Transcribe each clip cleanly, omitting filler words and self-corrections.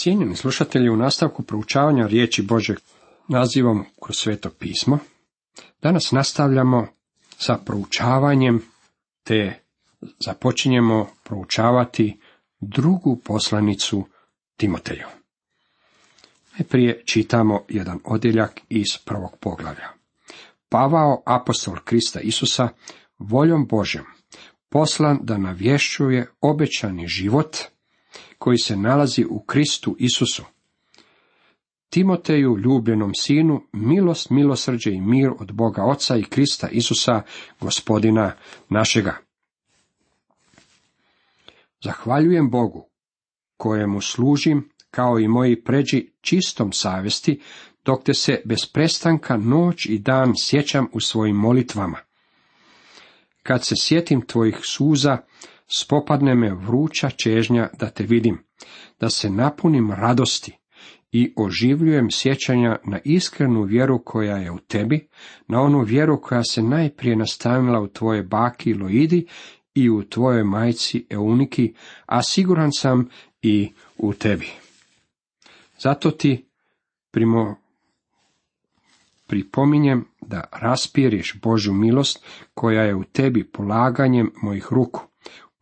Cijenjeni slušatelji, u nastavku proučavanja riječi Božeg nazivom kroz Sveto pismo, danas nastavljamo sa proučavanjem, te započinjemo proučavati drugu poslanicu Timoteju. Najprije čitamo jedan odjeljak iz prvog poglavlja. Pavao, apostol Krista Isusa, voljom Božjom, poslan da navješćuje obećani život koji se nalazi u Kristu Isusu. Timoteju, ljubljenom sinu, milost, milosrđe i mir od Boga Oca i Krista Isusa, Gospodina našega. Zahvaljujem Bogu, kojemu služim, kao i moji pređi, čistom savjesti, dok te se bez prestanka noć i dan sjećam u svojim molitvama. Kad se sjetim tvojih suza, spopadne me vruća čežnja da te vidim, da se napunim radosti i oživljujem sjećanja na iskrenu vjeru koja je u tebi, na onu vjeru koja se najprije nastanila u tvoje baki Loidi i u tvojoj majci Euniki, a siguran sam i u tebi. Zato ti pripominjem da raspiriš Božju milost koja je u tebi polaganjem mojih ruku.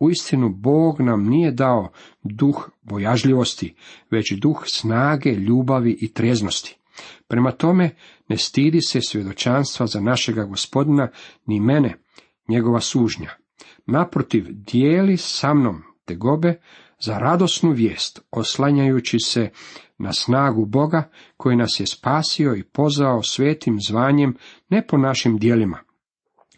Uistinu, Bog nam nije dao duh bojažljivosti, već duh snage, ljubavi i treznosti. Prema tome, ne stidi se svjedočanstva za našega Gospodina, ni mene, njegova sužnja. Naprotiv, dijeli sa mnom tegobe za radosnu vijest, oslanjajući se na snagu Boga, koji nas je spasio i pozvao svetim zvanjem, ne po našim djelima,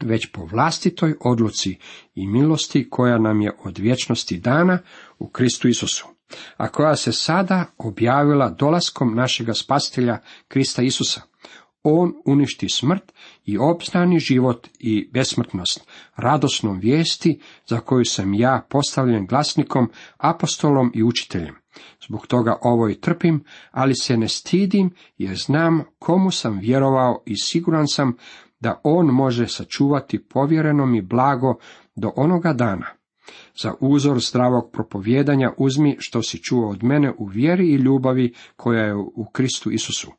već po vlastitoj odluci i milosti koja nam je od vječnosti dana u Kristu Isusu, a koja se sada objavila dolaskom našega Spasitelja Krista Isusa. On uništi smrt i opstani život i besmrtnost, radosnom vijesti za koju sam ja postavljen glasnikom, apostolom i učiteljem. Zbog toga ovo i trpim, ali se ne stidim, jer znam komu sam vjerovao i siguran sam da on može sačuvati povjereno mi blago do onoga dana. Za uzor zdravog propovijedanja uzmi što si čuo od mene u vjeri i ljubavi koja je u Kristu Isusu.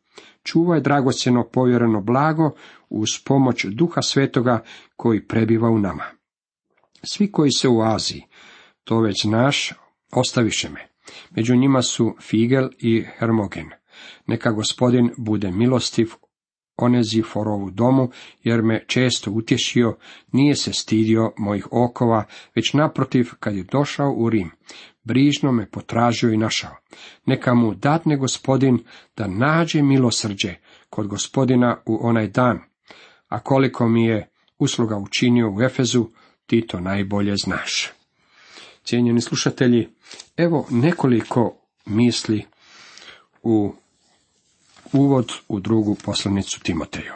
Čuvaj dragocjeno povjereno blago uz pomoć Duha Svetoga koji prebiva u nama. Svi koji se u Aziji, to već znaš, ostaviše me. Među njima su Figel i Hermogen. Neka Gospodin bude milostiv Oneziforovu domu, jer me često utješio, nije se stidio mojih okova, već naprotiv, kad je došao u Rim, brižno me potražio i našao. Neka mu dadne Gospodin da nađe milosrđe kod Gospodina u onaj dan, a koliko mi je usluga učinio u Efezu, ti to najbolje znaš. Cijenjeni slušatelji, evo nekoliko misli u uvod u drugu poslanicu Timoteju.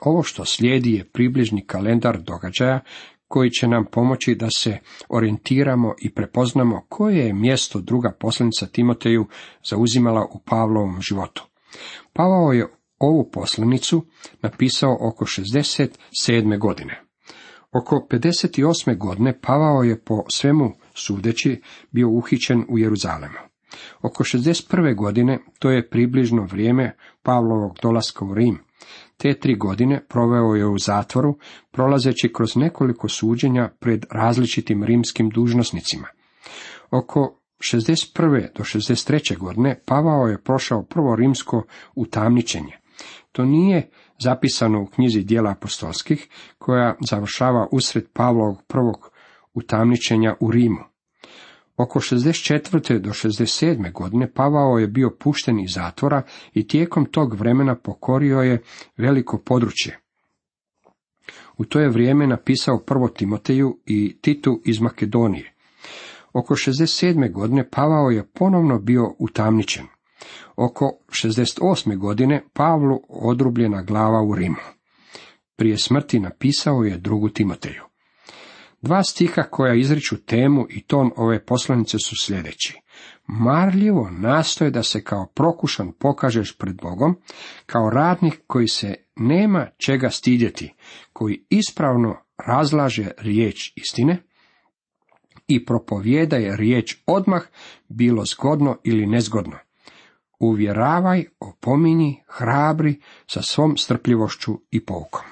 Ovo što slijedi je približni kalendar događaja koji će nam pomoći da se orijentiramo i prepoznamo koje je mjesto druga poslanica Timoteju zauzimala u Pavlovom životu. Pavao je ovu poslanicu napisao oko 67. godine. Oko 58. godine Pavao je po svemu sudeći bio uhićen u Jeruzalemu. Oko 61. godine, to je približno vrijeme Pavlovog dolaska u Rim. Te 3 godine proveo je u zatvoru, prolazeći kroz nekoliko suđenja pred različitim rimskim dužnosnicima. Oko 61. do 63. godine Pavao je prošao prvo rimsko utamničenje. To nije zapisano u knjizi Djela apostolskih, koja završava usred Pavlovog prvog utamničenja u Rimu. Oko 64. do 67. godine Pavao je bio pušten iz zatvora i tijekom tog vremena pokorio je veliko područje. U to je vrijeme napisao prvo Timoteju i Titu iz Makedonije. Oko 67. godine Pavao je ponovno bio utamničen. Oko 68. godine Pavlu odrubljena glava u Rimu. Prije smrti napisao je drugu Timoteju. 2 stiha koja izriču temu i ton ove poslanice su sljedeći. Marljivo nastoje da se kao prokušan pokažeš pred Bogom, kao radnik koji se nema čega stidjeti, koji ispravno razlaže riječ istine, i propovijedaj riječ odmah, bilo zgodno ili nezgodno. Uvjeravaj, opominji, hrabri sa svom strpljivošću i poukom.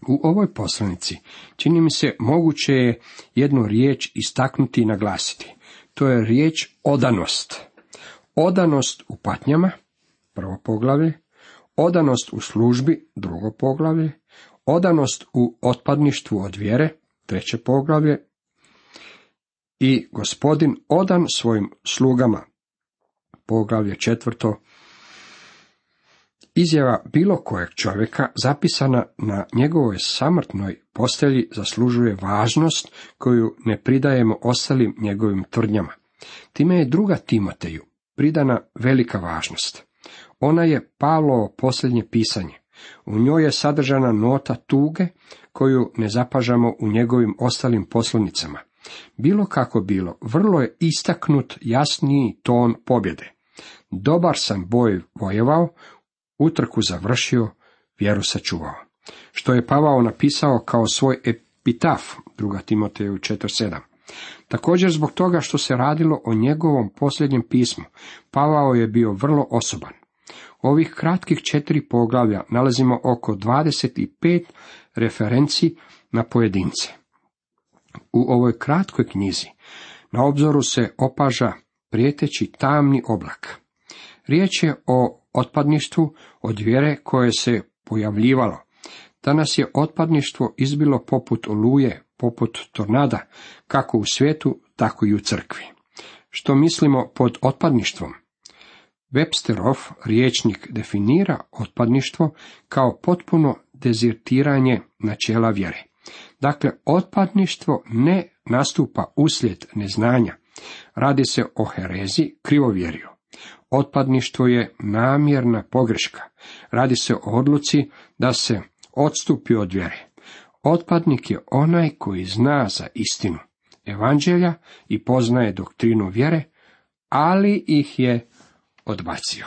U ovoj poslanici čini mi se moguće je jednu riječ istaknuti i naglasiti. To je riječ odanost. Odanost u patnjama, prvo poglavlje, odanost u službi, drugo poglavlje, odanost u otpadništvu od vjere, treće poglavlje, i Gospodin odan svojim slugama, poglavlje četvrto. Izjava bilo kojeg čovjeka zapisana na njegovoj samrtnoj postelji zaslužuje važnost koju ne pridajemo ostalim njegovim tvrdnjama. Time je 2. Timoteju pridana velika važnost. Ona je Pavlovo posljednje pisanje. U njoj je sadržana nota tuge koju ne zapažamo u njegovim ostalim poslanicama. Bilo kako bilo, vrlo je istaknut jasniji ton pobjede. Dobar sam boj vojevao, utrku završio, vjeru sačuvao. Što je Pavao napisao kao svoj epitaf, 2. Timoteju 4:7. Također zbog toga što se radilo o njegovom posljednjem pismu, Pavao je bio vrlo osoban. U ovih kratkih 4 poglavlja nalazimo oko 25 referenci na pojedince. U ovoj kratkoj knjizi na obzoru se opaža prijeteći tamni oblak. Riječ je o otpadništvu od vjere koje se pojavljivalo. Danas je otpadništvo izbilo poput oluje, poput tornada, kako u svijetu, tako i u crkvi. Što mislimo pod otpadništvom? Websterov rječnik definira otpadništvo kao potpuno dezertiranje načela vjere. Dakle, otpadništvo ne nastupa uslijed neznanja. Radi se o herezi, krivovjerju. Otpadništvo je namjerna pogreška. Radi se o odluci da se odstupi od vjere. Otpadnik je onaj koji zna za istinu evanđelja i poznaje doktrinu vjere, ali ih je odbacio.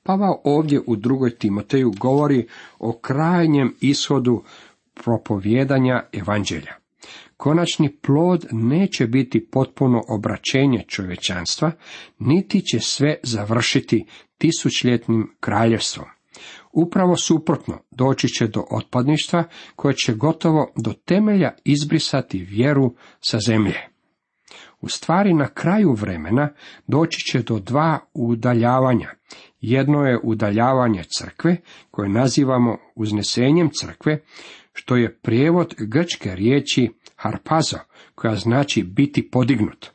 Pavao ovdje u 2. Timoteju govori o krajnjem ishodu propovijedanja evanđelja. Konačni plod neće biti potpuno obraćenje čovječanstva, niti će sve završiti tisućljetnim kraljevstvom. Upravo suprotno, doći će do otpadništva koje će gotovo do temelja izbrisati vjeru sa zemlje. U stvari, na kraju vremena doći će do 2 udaljavanja. Jedno je udaljavanje crkve, koje nazivamo uznesenjem crkve, što je prijevod grčke riječi harpazo, koja znači biti podignut.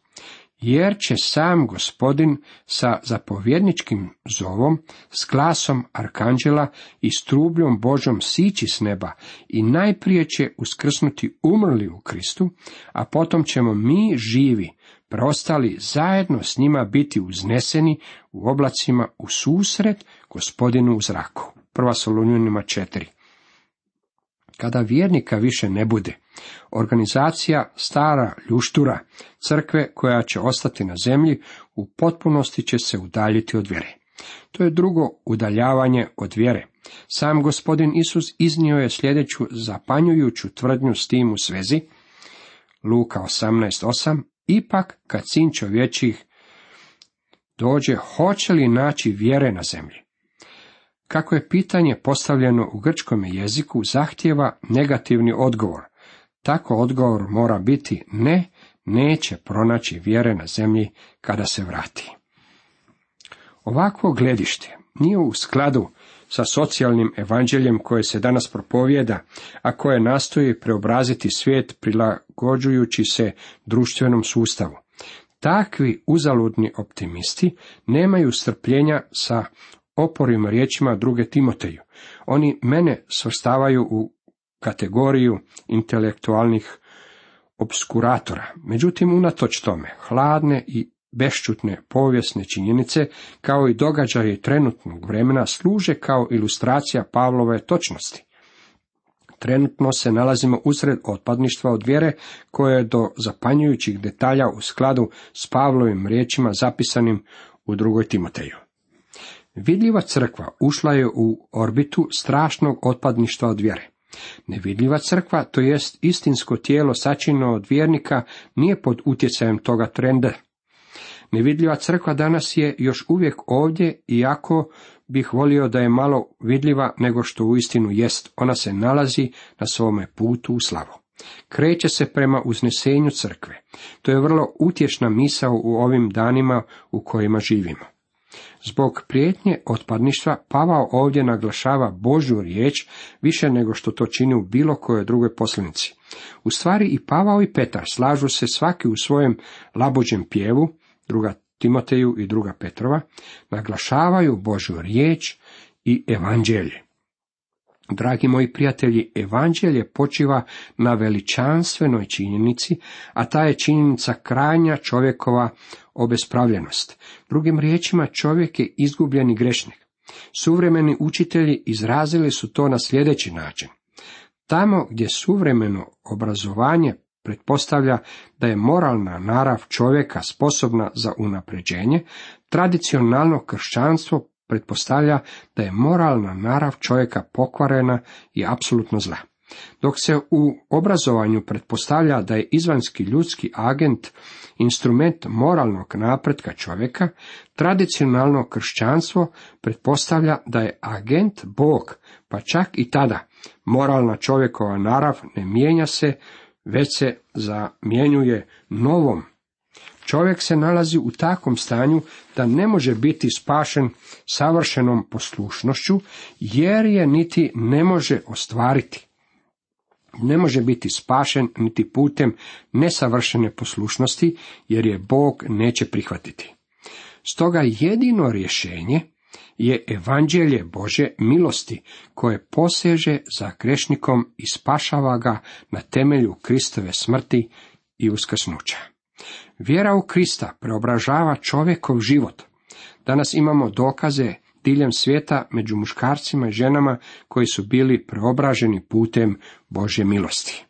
Jer će sam Gospodin sa zapovjedničkim zovom, s glasom arkanđela i s trubljom Božom sići s neba i najprije će uskrsnuti umrli u Kristu, a potom ćemo mi živi, preostali zajedno s njima biti uzneseni u oblacima u susret Gospodinu u zraku. 1. Solunjanima 4. Kada vjernika više ne bude, organizacija stara ljuštura, crkve koja će ostati na zemlji, u potpunosti će se udaljiti od vjere. To je drugo udaljavanje od vjere. Sam Gospodin Isus iznio je sljedeću zapanjujuću tvrdnju s tim u svezi. Luka 18:8. Ipak, kad sin čovječih dođe, hoće li naći vjere na zemlji? Kako je pitanje postavljeno u grčkom jeziku, zahtijeva negativni odgovor. Tako odgovor mora biti ne, neće pronaći vjere na zemlji kada se vrati. Ovakvo gledište nije u skladu sa socijalnim evanđeljem koje se danas propovijeda, a koje nastoji preobraziti svijet prilagođujući se društvenom sustavu. Takvi uzaludni optimisti nemaju strpljenja sa oporim riječima 2. Timoteju. Oni mene svrstavaju u kategoriju intelektualnih obskuratora. Međutim, unatoč tome, hladne i bešćutne povijesne činjenice, kao i događaje trenutnog vremena, služe kao ilustracija Pavlove točnosti. Trenutno se nalazimo usred otpadništva od vjere, koje je do zapanjujućih detalja u skladu s Pavlovim riječima zapisanim u 2. Timoteju. Vidljiva crkva ušla je u orbitu strašnog otpadništva od vjere. Nevidljiva crkva, to jest istinsko tijelo sačinjeno od vjernika, nije pod utjecajem toga trenda. Nevidljiva crkva danas je još uvijek ovdje, iako bih volio da je malo vidljiva nego što uistinu jest. Ona se nalazi na svome putu u slavu. Kreće se prema uznesenju crkve. To je vrlo utješna misao u ovim danima u kojima živimo. Zbog prijetnje otpadništva Pavao ovdje naglašava Božju riječ više nego što to čini u bilo kojoj drugoj poslanici. U stvari i Pavao i Petar slažu se svaki u svojem labuđem pjevu, 2. Timoteju i 2. Petrova, naglašavaju Božju riječ i evanđelje. Dragi moji prijatelji, evanđelje počiva na veličanstvenoj činjenici, a ta je činjenica krajnja čovjekova obespravljenost. Drugim riječima, čovjek je izgubljeni grešnik. Suvremeni učitelji izrazili su to na sljedeći način. Tamo gdje suvremeno obrazovanje pretpostavlja da je moralna narav čovjeka sposobna za unapređenje, tradicionalno kršćanstvo pretpostavlja da je moralna narav čovjeka pokvarena i apsolutno zla. Dok se u obrazovanju pretpostavlja da je izvanjski ljudski agent instrument moralnog napretka čovjeka, tradicionalno kršćanstvo pretpostavlja da je agent Bog, pa čak i tada moralna čovjekova narav ne mijenja se, već se zamjenjuje novom. Čovjek se nalazi u takvom stanju da ne može biti spašen savršenom poslušnošću, jer je niti ne može ostvariti. Ne može biti spašen niti putem nesavršene poslušnosti, jer je Bog neće prihvatiti. Stoga jedino rješenje je evanđelje Božje milosti, koje poseže za grešnikom i spašava ga na temelju Kristove smrti i uskrsnuća. Vjera u Krista preobražava čovjekov život. Danas imamo dokaze diljem svijeta među muškarcima i ženama koji su bili preobraženi putem Božje milosti.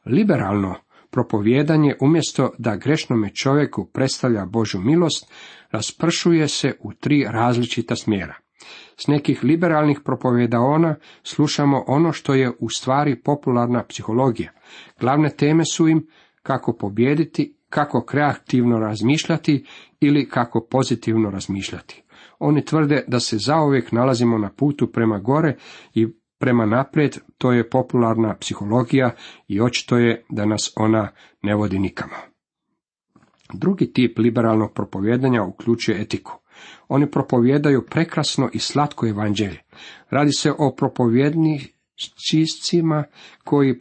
Liberalno propovijedanje, umjesto da grešnome čovjeku predstavlja Božju milost, raspršuje se u 3 različita smjera. S nekih liberalnih propovjedaona slušamo ono što je u stvari popularna psihologija. Glavne teme su im kako pobijediti, kako kreativno razmišljati ili kako pozitivno razmišljati. Oni tvrde da se zauvijek nalazimo na putu prema gore i prema naprijed, to je popularna psihologija i očito je da nas ona ne vodi nikamo. Drugi tip liberalnog propovijedanja uključuje etiku. Oni propovijedaju prekrasno i slatko evanđelje. Radi se o propovijednicima koji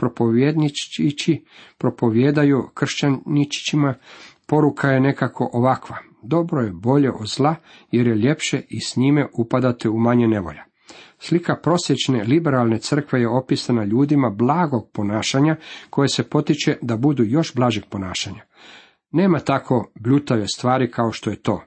propovijedaju kršćaničićima. Poruka je nekako ovakva: dobro je bolje od zla, jer je ljepše i s njime upadate u manje nevolja. Slika prosječne liberalne crkve je opisana ljudima blagog ponašanja, koje se potiče da budu još blažeg ponašanja. Nema tako bljutave stvari kao što je to.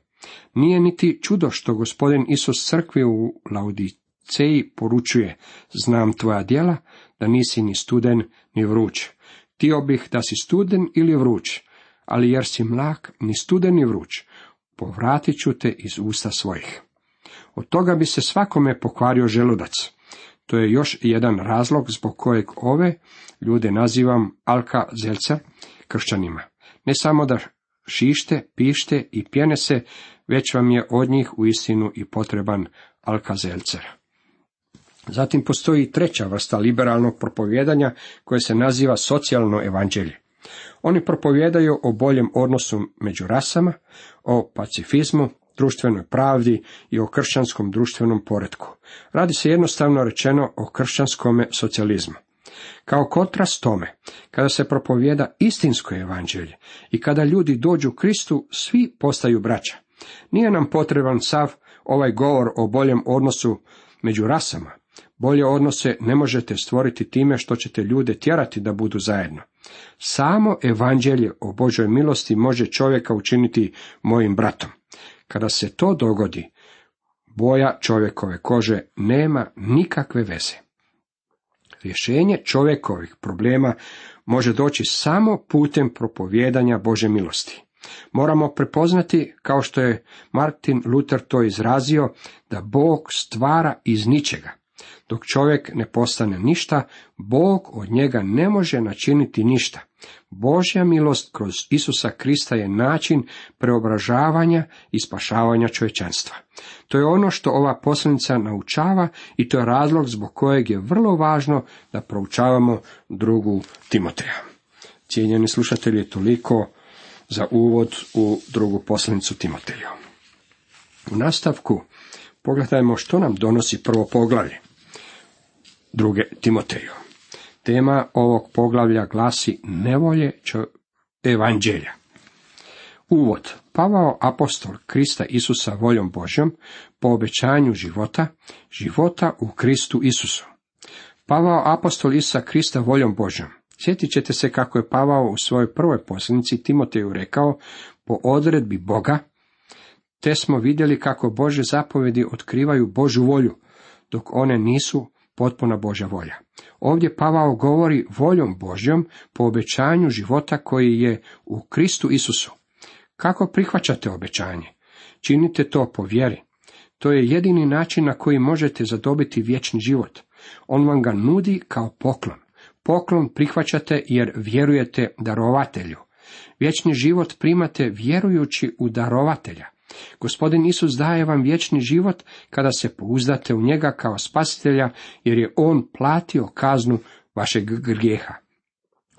Nije niti čudo što Gospodin Isus crkvi u Laodiceji poručuje: znam tvoja djela, da nisi ni studen ni vruć. Htio bih da si studen ili vruć, ali jer si mlak, ni studen ni vruć, povratit ću te iz usta svojih. Od toga bi se svakome pokvario želudac. To je još jedan razlog zbog kojeg ove ljude nazivam alkazelcer kršćanima. Ne samo da šište, pište i pjene se, već vam je od njih uistinu i potreban alkazelcer. Zatim postoji 3. vrsta liberalnog propovijedanja koje se naziva socijalno evanđelje. Oni propovijedaju o boljem odnosu među rasama, o pacifizmu, društvenoj pravdi i o kršćanskom društvenom poretku. Radi se jednostavno rečeno o kršćanskom socijalizmu. Kao kontrast tome, kada se propovijeda istinsko evanđelje i kada ljudi dođu Kristu, svi postaju braća. Nije nam potreban sav ovaj govor o boljem odnosu među rasama. Bolje odnose ne možete stvoriti time što ćete ljude tjerati da budu zajedno. Samo evanđelje o Božoj milosti može čovjeka učiniti mojim bratom. Kada se to dogodi, boja čovjekove kože nema nikakve veze. Rješenje čovjekovih problema može doći samo putem propovijedanja Božje milosti. Moramo prepoznati, kao što je Martin Luther to izrazio, da Bog stvara iz ničega. Dok čovjek ne postane ništa, Bog od njega ne može načiniti ništa. Božja milost kroz Isusa Krista je način preobražavanja i spašavanja čovječanstva. To je ono što ova poslanica naučava i to je razlog zbog kojeg je vrlo važno da proučavamo 2. Timoteja. Cijenjeni slušatelji, toliko za uvod u 2. poslanicu Timoteju. U nastavku pogledajmo što nam donosi prvo poglavlje 2. Timoteju. Tema ovog poglavlja glasi nevolje evanđelja. Uvod. Pavao apostol Krista Isusa voljom Božjom po obećanju života u Kristu Isusu. Pavao apostol Isusa Krista voljom Božjom. Sjetit ćete se kako je Pavao u svojoj prvoj poslanici Timoteju rekao po odredbi Boga, te smo vidjeli kako Božje zapovjedi otkrivaju Božju volju, dok one nisu potpuna Božja volja. Ovdje Pavao govori voljom Božjom po obećanju života koji je u Kristu Isusu. Kako prihvaćate obećanje? Činite to po vjeri. To je jedini način na koji možete zadobiti vječni život. On vam ga nudi kao poklon. Poklon prihvaćate jer vjerujete darovatelju. Vječni život primate vjerujući u darovatelja. Gospodin Isus daje vam vječni život kada se pouzdate u njega kao spasitelja, jer je on platio kaznu vašeg grijeha.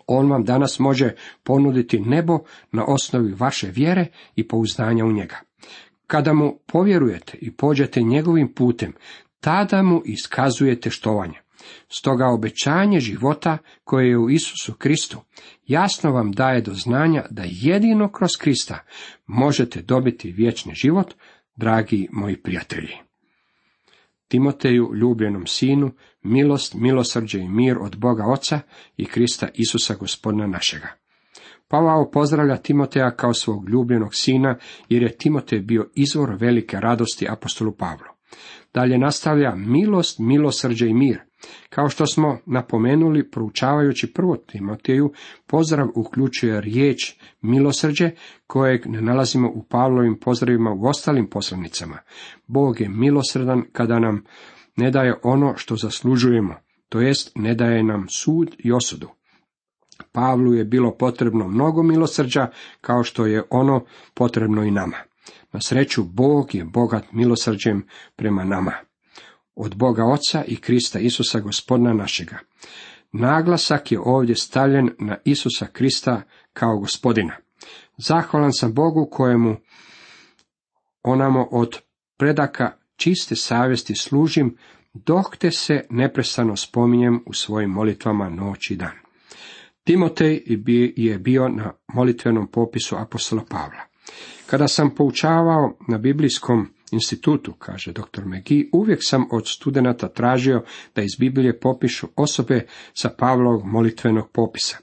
On vam danas može ponuditi nebo na osnovi vaše vjere i pouzdanja u njega. Kada mu povjerujete i pođete njegovim putem, tada mu iskazujete štovanje. Stoga obećanje života koje je u Isusu Kristu jasno vam daje do znanja da jedino kroz Krista možete dobiti vječni život, dragi moji prijatelji. Timoteju, ljubljenom sinu, milost, milosrđe i mir od Boga Oca i Krista Isusa Gospodina našega. Pavao pozdravlja Timoteja kao svog ljubljenog sina, jer je Timotej bio izvor velike radosti apostolu Pavlu. Dalje nastavlja milost, milosrđe i mir. Kao što smo napomenuli, proučavajući 1. Timoteju, pozdrav uključuje riječ milosrđe, kojeg ne nalazimo u Pavlovim pozdravima u ostalim poslanicama. Bog je milosrdan kada nam ne daje ono što zaslužujemo, to jest ne daje nam sud i osudu. Pavlu je bilo potrebno mnogo milosrđa, kao što je ono potrebno i nama. Na sreću, Bog je bogat milosrđem prema nama. Od Boga Oca i Krista Isusa Gospodina našega. Naglasak je ovdje stavljen na Isusa Krista kao Gospodina. Zahvalan sam Bogu kojemu onamo od predaka čiste savjesti služim, dok te se neprestano spominjem u svojim molitvama noć i dan. Timotej je bio na molitvenom popisu apostola Pavla. Kada sam poučavao na biblijskom institutu, kaže dr. McGee, uvijek sam od studenata tražio da iz Biblije popišu osobe sa Pavlovog molitvenog popisa.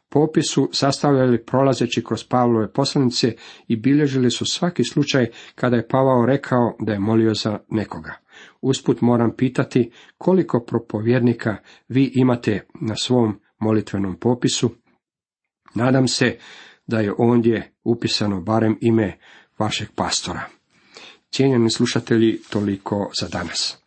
Popis su sastavljali prolazeći kroz Pavlove poslanice i bilježili su svaki slučaj kada je Pavao rekao da je molio za nekoga. Usput moram pitati koliko propovjednika vi imate na svom molitvenom popisu. Nadam se da je ondje upisano barem ime vašeg pastora. Cijenjeni slušatelji, toliko za danas.